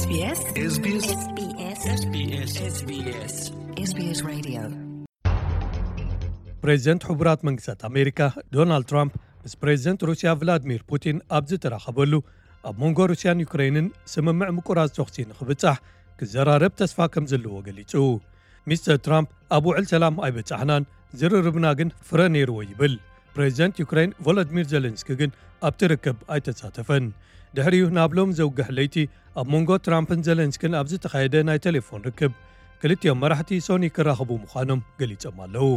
SBS SBS SBS SBS Radio. ፕሬዚደንት ሕቡራት መንግስታት ኣሜሪካ ዶናልድ ትራምፕ ምስ ፕሬዚደንት ሩስያ ቭላድሚር ፑቲን ኣብ ዝተራኸበሉ፣ ኣብ መንጎ ሩስያን ዩክሬንን ስምምዕ ምቁራጽ ተኹሲ ንኽብጻሕ ክዘራረብ ተስፋ ከም ዘለዎ ገሊጹ። ሚስተር ትራምፕ ኣብ ውዕል ሰላም ኣይበጻሕናን፣ ዝርርብና ግን ፍረ ነይርዎ ይብል። ፕሬዚደንት ዩክሬን ቮሎዲሚር ዜለንስኪ ግን ኣብቲ ርክብ ኣይተሳተፈን። ድሕሪኡ ናብ ሎም ዘውግሕ ለይቲ ኣብ መንጎ ትራምፕን ዜለንስኪን ኣብ ዝተኻየደ ናይ ቴሌፎን ርክብ፣ ክልቲኦም መራሕቲ ሶኒ ክራኸቡ ምዃኖም ገሊጾም ኣለዉ።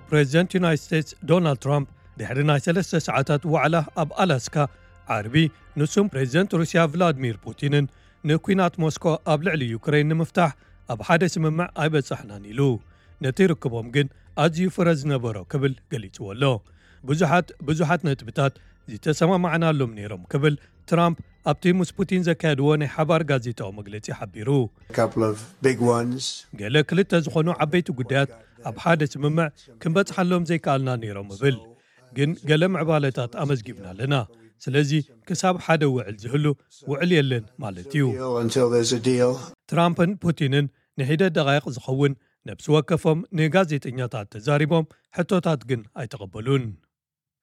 ፕሬዚደንት ዩናይትድ ስቴትስ ዶናልድ ትራምፕ ድሕሪ ናይ ሰለስተ ሰዓታት ዋዕላ ኣብ ኣላስካ፣ ዓርቢ፣ ንሱም ፕሬዚደንት ሩስያ ቭላድሚር ፑቲንን ንኲናት ሞስኮ ኣብ ልዕሊ ዩክሬን ንምፍታሕ ኣብ ሓደ ስምምዕ ኣይበጻሕናን ኢሉ። ነቲ ርክቦም ግን ኣዝዩ ፍረ ዝነበሮ ክብል ገሊጽዎ ኣሎ። ብዙሓት ብዙሓት ነጥብታት ዝተሰማማዕናሎም ነይሮም ክብል ትራምፕ ኣብቲ ምስ ፑቲን ዘካየድዎ ናይ ሓባር ጋዜጣዊ መግለጺ ሓቢሩ። Couple of big ones. ገለ ክልተ ዝኾኑ ዓበይቲ ጉዳያት ኣብ ሓደ ስምምዕ ክንበጽሓሎም ዘይከኣልና ነይሮም እብል፣ ግን ገለ ምዕባለታት ኣመዝጊብና ኣለና። ስለዚ ክሳብ ሓደ ውዕል ዝህሉ ውዕል የለን ማለት እዩ። Deal until there's a deal. ትራምፕን ፑቲንን ንሒደት ደቓይቕ ዝኸውን ነብሲ ወከፎም ንጋዜጠኛታት ተዛሪቦም፣ ሕቶታት ግን ኣይተቐበሉን።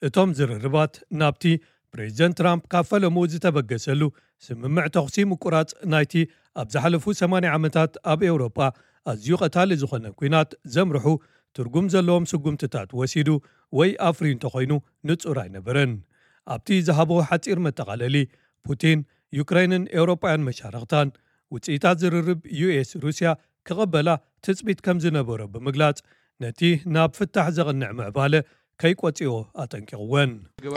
እቶም ዝርርባት ናብቲ ፕሬዚደንት ትራምፕ ካብ ፈለምኡ ዝተበገሰሉ ስምምዕ ተኹሲ ምቁራጽ ናይቲ ኣብ ዝሓለፉ ሰማንያ ዓመታት ኣብ ኤውሮጳ ኣዝዩ ቀታሊ ዝኾነ ኲናት ዘምርሑ ትርጉም ዘለዎም ስጉምትታት ወሲዱ ወይ ኣፍርዩ እንተኾይኑ ንጹር ኣይነበረን። ኣብቲ ዝሃቦ ሓጺር መጠቓለሊ፣ ፑቲን ዩክሬንን ኤውሮጳውያን መሻርኽታን ውጽኢታት ዝርርብ ዩ ኤስ ሩስያ ክቕበላ ትጽቢት ከም ዝነበሮ ብምግላጽ፣ ነቲ ናብ ፍታሕ ዘቕንዕ ምዕባለ ከይቆጽዮ ኣጠንቂቕወን።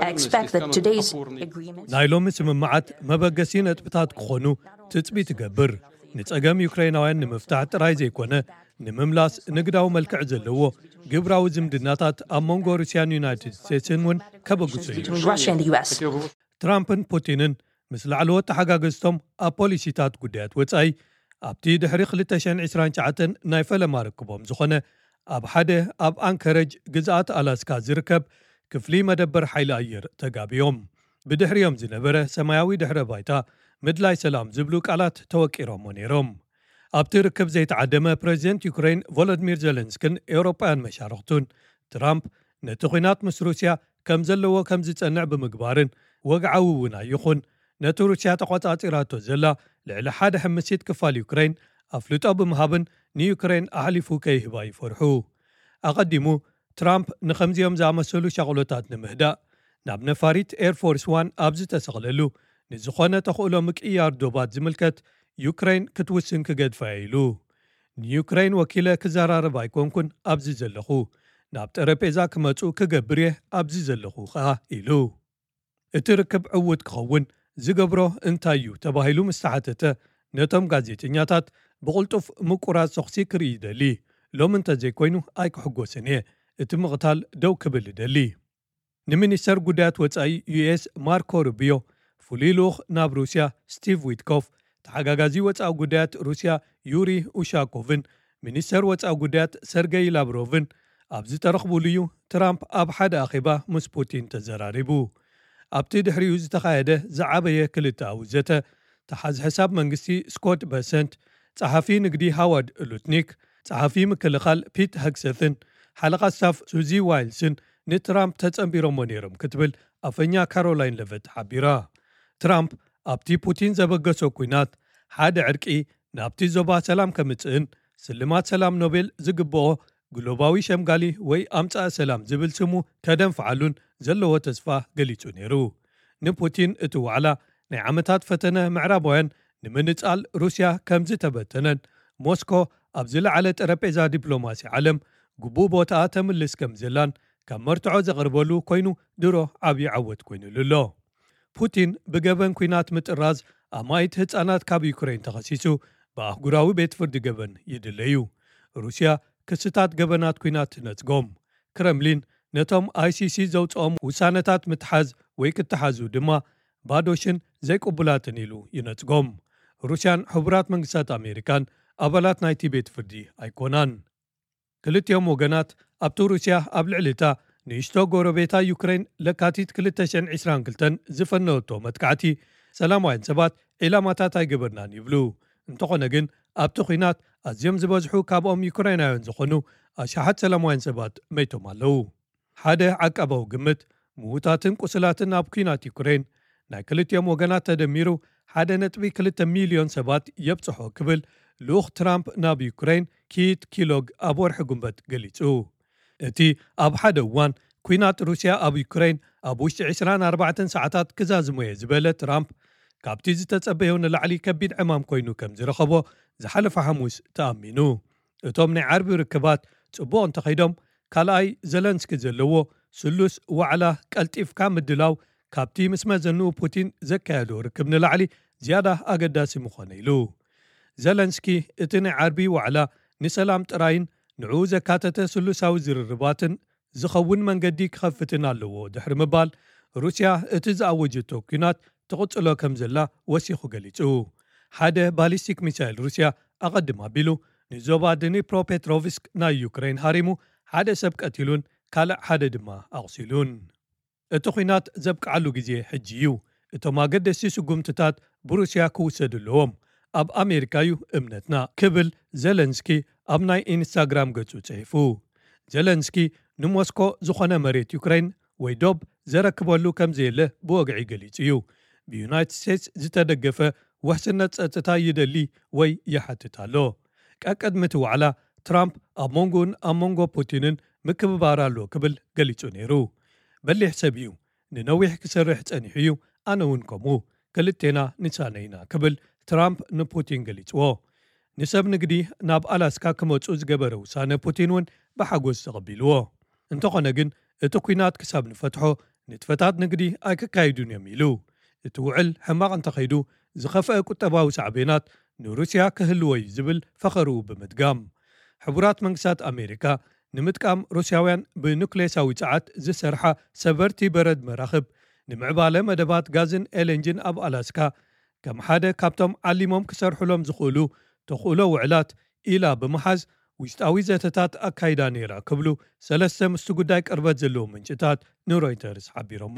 I expect that today's agreement ናይ ሎሚ ስምምዓት መበገሲ ነጥብታት ክኾኑ ትጽቢት ይገብር። ንጸገም ዩክሬናውያን ንምፍታሕ ጥራይ ዘይኮነ፣ ንምምላስ ንግዳዊ መልክዕ ዘለዎ ግብራዊ ዝምድናታት ኣብ መንጎ ሩስያን ዩናይትድ ስቴትስን እውን ከበግሱ እዩ። between Russia and the U S. ትራምፕን ፑቲንን ምስ ላዕለዎት ተሓጋገዝቶም ኣብ ፖሊሲታት ጉዳያት ወጻኢ ኣብቲ ድሕሪ ክልተ ሽሕን ዕስራን ትሽዓተን ናይ ፈለማ ርክቦም ዝኾነ ኣብ ሓደ ኣብ ኣንከረጅ ግዝኣት ኣላስካ ዝርከብ ክፍሊ መደበር ሓይሊ ኣየር ተጋብዮም። ብድሕሪኦም ዝነበረ ሰማያዊ ድሕረ ባይታ ምድላይ ሰላም ዝብሉ ቃላት ተወቂሮሞ ነይሮም። ኣብቲ ርክብ ዘይተዓደመ ፕሬዚደንት ዩክሬን ቮሎዲሚር ዜለንስኪን ኤውሮጳውያን መሻርኽቱን ትራምፕ ነቲ ኲናት ምስ ሩስያ ከም ዘለዎ ከም ዝጸንዕ ብምግባርን ወግዓዊ እውን ኣይኹን ነቲ ሩስያ ተቖጻጺራቶ ዘላ ልዕሊ ሓደ ሕምሲት ክፋል ዩክሬን ኣፍልጦ ብምሃብን ንዩክሬን ኣሕሊፉ ከይህባ ይፈርሑ። ኣቐዲሙ ትራምፕ ንኸምዚኦም ዝኣመሰሉ ሻቕሎታት ንምህዳእ ናብ ነፋሪት ኤርፎርስ ዋን ኣብ ዝተሰቕለሉ ንዝኾነ ተኽእሎ ምቅያር ዶባት ዝምልከት ዩክሬን ክትውስን ክገድፋ እየ ኢሉ። ንዩክሬን ወኪለ ክዘራረብ ኣይኮንኩን ኣብዚ ዘለኹ፣ ናብ ጠረጴዛ ክመጹ ክገብር እየ ኣብዚ ዘለኹ ኸኣ ኢሉ። እቲ ርክብ ዕዉት ክኸውን ዝገብሮ እንታይ እዩ ተባሂሉ ምስ ተሓተተ፣ ነቶም ጋዜጠኛታት ብቕልጡፍ ምቁራጽ ተኹሲ ክርኢ ይደሊ። ሎሚ እንተዘይኮይኑ ኣይክሕጎስን እየ። እቲ ምቕታል ደው ክብል እደሊ። ንሚኒስተር ጉዳያት ወጻኢ ዩ ኤስ ማርኮ ሩቢዮ፣ ፍሉይ ልኡኽ ናብ ሩስያ ስቲቭ ዊትኮፍ፣ ተሓጋጋዚ ወጻኢ ጉዳያት ሩስያ ዩሪ ኡሻኮቭን ሚኒስተር ወጻኢ ጉዳያት ሰርገይ ላቭሮቭን ኣብ ዝተረኽቡሉ እዩ ትራምፕ ኣብ ሓደ ኣኼባ ምስ ፑቲን ተዘራሪቡ። ኣብቲ ድሕሪኡ ዝተኻየደ ዝዓበየ ክልተኣዊ ዘተ፣ ተሓዝ ሕሳብ መንግስቲ ስኮት በሰንት፣ ጸሓፊ ንግዲ ሃዋርድ ሉትኒክ፣ ጸሓፊ ምክልኻል ፒት ሄግሰትን ሓለቓ ስታፍ ሱዚ ዋይልስን ንትራምፕ ተጸንቢሮሞ ነይሮም ክትብል ኣፈኛ ካሮላይን ለቨት ሓቢራ። ትራምፕ ኣብቲ ፑቲን ዘበገሶ ኲናት ሓደ ዕርቂ ናብቲ ዞባ ሰላም ከምጽእን ስልማት ሰላም ኖቤል ዝግብኦ ግሎባዊ ሸምጋሊ ወይ ኣምጻእ ሰላም ዝብል ስሙ ከደንፍዓሉን ዘለዎ ተስፋ ገሊጹ ነይሩ። ንፑቲን እቲ ዋዕላ ናይ ዓመታት ፈተነ ምዕራባውያን ንምንጻል ሩስያ ከም ዝተበተነን ሞስኮ ኣብ ዝለዓለ ጠረጴዛ ዲፕሎማሲ ዓለም ግቡእ ቦታኣ ተምልስ ከም ዘላን ካብ መርትዖ ዘቕርበሉ ኮይኑ ድሮ ዓብዪ ዓወት ኮይኑሉ ኣሎ። ፑቲን ብገበን ኲናት ምጥራዝ ኣማኢት ህጻናት ካብ ዩክሬን ተኸሲሱ ብኣህጉራዊ ቤት ፍርዲ ገበን ይድለዩ። ሩስያ ክስታት ገበናት ኲናት ትነጽጎም። ክረምሊን ነቶም ኣይ ሲ ሲ ዘውጽኦም ውሳነታት ምትሓዝ ወይ ክተሓዙ ድማ ባዶ ሽን ዘይቅቡላትን ኢሉ ይነጽጎም። ሩስያን ሕቡራት መንግስታት ኣሜሪካን ኣባላት ናይቲ ቤት ፍርዲ ኣይኮናን። ክልቲኦም ወገናት ኣብቲ ሩስያ ኣብ ልዕሊ እታ ንእሽቶ ጎረቤታ ዩክሬን ለካቲት ክልተ ሽሕን ዕስራን ክልተን ዝፈነወቶ መጥቃዕቲ ሰላማውያን ሰባት ዒላማታት ኣይገበርናን ይብሉ። እንተኾነ ግን ኣብቲ ኲናት ኣዝዮም ዝበዝሑ ካብኦም ዩክሬናውያን ዝኾኑ ኣሽሓት ሰላማውያን ሰባት መይቶም ኣለዉ። ሓደ ዓቃባዊ ግምት ምዉታትን ቁስላትን ኣብ ኲናት ዩክሬን ናይ ክልቲኦም ወገናት ተደሚሩ ሓደ ነጥቢ ክልተ ሚልዮን ሰባት የብጽሖ ክብል ልኡኽ ትራምፕ ናብ ዩክሬን ኪት ኪሎግ ኣብ ወርሒ ጉንበት ገሊጹ። እቲ ኣብ ሓደ እዋን ኲናት ሩስያ ኣብ ዩክሬን ኣብ ውሽጢ ዕስራን ኣርባዕተን ሰዓታት ክዛዝሞ እየ ዝበለ ትራምፕ፣ ካብቲ ዝተጸበዮ ንላዕሊ ከቢድ ዕማም ኮይኑ ከም ዝረኸቦ ዝሓለፈ ሓሙስ ተኣሚኑ። እቶም ናይ ዓርቢ ርክባት ጽቡቕ እንተኸይዶም፣ ካልኣይ ዘለንስኪ ዘለዎ ስሉስ ዋዕላ ቀልጢፍካ ምድላው ካብቲ ምስ መዘንኡ ፑቲን ዘካየዶ ርክብ ንላዕሊ ዝያዳ ኣገዳሲ ምኾነ ኢሉ። ዘለንስኪ እቲ ናይ ዓርቢ ዋዕላ ንሰላም ጥራይን ንዕኡ ዘካተተ ስሉሳዊ ዝርርባትን ዝኸውን መንገዲ ክኸፍትን ኣለዎ ድሕሪ ምባል፣ ሩስያ እቲ ዝኣወጀቶ ኲናት ትቕጽሎ ከም ዘላ ወሲኹ ገሊጹ። ሓደ ባሊስቲክ ሚሳይል ሩስያ ኣቐድም ኣቢሉ ንዞባ ድኒፕሮፔትሮቭስክ ናይ ዩክሬን ሃሪሙ ሓደ ሰብ ቀቲሉን ካልእ ሓደ ድማ ኣቑሲሉን። እቲ ኲናት ዘብቅዓሉ ግዜ ሕጂ እዩ። እቶም ኣገደስቲ ስጉምትታት ብሩስያ ክውሰዱ ኣለዎም። ኣብ ኣሜሪካ እዩ እምነትና ክብል ዘለንስኪ ኣብ ናይ ኢንስታግራም ገጹ ጽሒፉ። ዘለንስኪ ንሞስኮ ዝኾነ መሬት ዩክሬን ወይ ዶብ ዘረክበሉ ከም ዘየለ ብወግዒ ገሊጹ እዩ። ብዩናይትድ ስቴትስ ዝተደገፈ ውሕስነት ጸጥታ ይደሊ ወይ ይሓትት ኣሎ። ቀቅድሚ እቲ ዋዕላ ትራምፕ ኣብ መንጎኡን ኣብ መንጎ ፑቲንን ምክብባር ኣሎ ክብል ገሊጹ ነይሩ። በሊሕ ሰብ እዩ። ንነዊሕ ክሰርሕ ጸኒሑ እዩ። ኣነ እውን ከምኡ። ክልቴና ንሳነ ኢና ክብል ትራምፕ ንፑቲን ገሊጽዎ። ንሰብ ንግዲ ናብ ኣላስካ ክመጹ ዝገበረ ውሳነ ፑቲን እውን ብሓጎስ ተቐቢልዎ። እንተኾነ ግን እቲ ኲናት ክሳብ ንፈትሖ ንጥፈታት ንግዲ ኣይክካይዱን እዮም ኢሉ። እቲ ውዕል ሕማቕ እንተኸይዱ ዝኸፍአ ቁጠባዊ ሳዕቤናት ንሩስያ ክህልዎ እዩ ዝብል ፈኸርኡ ብምድጋም፣ ሕቡራት መንግስታት ኣሜሪካ ንምጥቃም ሩስያውያን ብኑክሌሳዊ ጸዓት ዝሰርሓ ሰበርቲ በረድ መራኽብ ንምዕባለ መደባት ጋዝን ኤልኤንጂን ኣብ ኣላስካ ከም ሓደ ካብቶም ዓሊሞም ክሰርሑሎም ዝኽእሉ ተኽእሎ ውዕላት ኢላ ብምሓዝ ውሽጣዊ ዘተታት ኣካይዳ ነይራ ክብሉ ሰለስተ ምስቲ ጉዳይ ቅርበት ዘለዎም ምንጭታት ንሮይተርስ ሓቢሮሞ።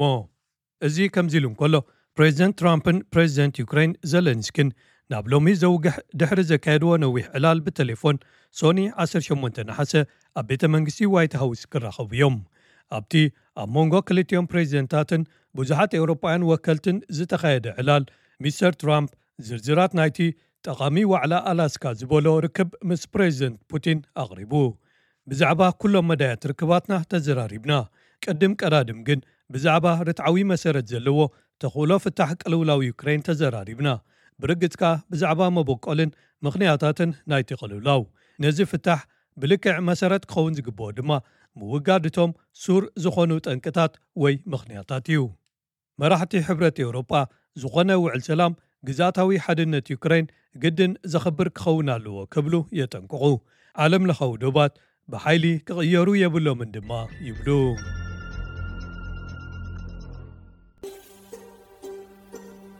እዚ ከምዚ ኢሉ እንከሎ፣ ፕሬዚደንት ትራምፕን ፕሬዚደንት ዩክሬን ዘለንስኪን ናብ ሎሚ ዘውግሕ ድሕሪ ዘካየድዎ ነዊሕ ዕላል ብቴሌፎን ሶኒ ዓሰርተ ሸሞንተ ነሓሰ ኣብ ቤተ መንግስቲ ዋይት ሃውስ ክራኸቡ እዮም። ኣብቲ ኣብ መንጎ ክልቲኦም ፕሬዚደንታትን ብዙሓት ኤውሮጳውያን ወከልትን ዝተኻየደ ዕላል፣ ሚስተር ትራምፕ ዝርዝራት ናይቲ ጠቓሚ ዋዕላ ኣላስካ ዝበሎ ርክብ ምስ ፕሬዚደንት ፑቲን ኣቕሪቡ። ብዛዕባ ኩሎም መዳያት ርክባትና ተዘራሪብና። ቅድም ቀዳድም ግን ብዛዕባ ርትዓዊ መሰረት ዘለዎ ተኽእሎ ፍታሕ ቅልውላው ዩክሬን ተዘራሪብና። ብርግጽ ከኣ ብዛዕባ መበቆልን ምኽንያታትን ናይቲ ቅልውላው። ነዚ ፍታሕ ብልክዕ መሰረት ክኸውን ዝግብኦ ድማ ምውጋድ እቶም ሱር ዝኾኑ ጠንቅታት ወይ ምኽንያታት እዩ። መራሕቲ ሕብረት ኤውሮጳ ዝኾነ ውዕል ሰላም ግዝኣታዊ ሓድነት ዩክሬን ግድን ዘኽብር ክኸውን ኣለዎ ክብሉ የጠንቅቑ። ዓለም ለኻዊ ዶባት ብሓይሊ ክቕየሩ የብሎምን ድማ ይብሉ።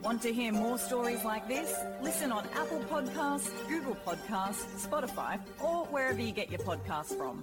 Want to hear more stories like this? Listen on Apple Podcasts, Google Podcasts, Spotify, or wherever you get your podcasts from.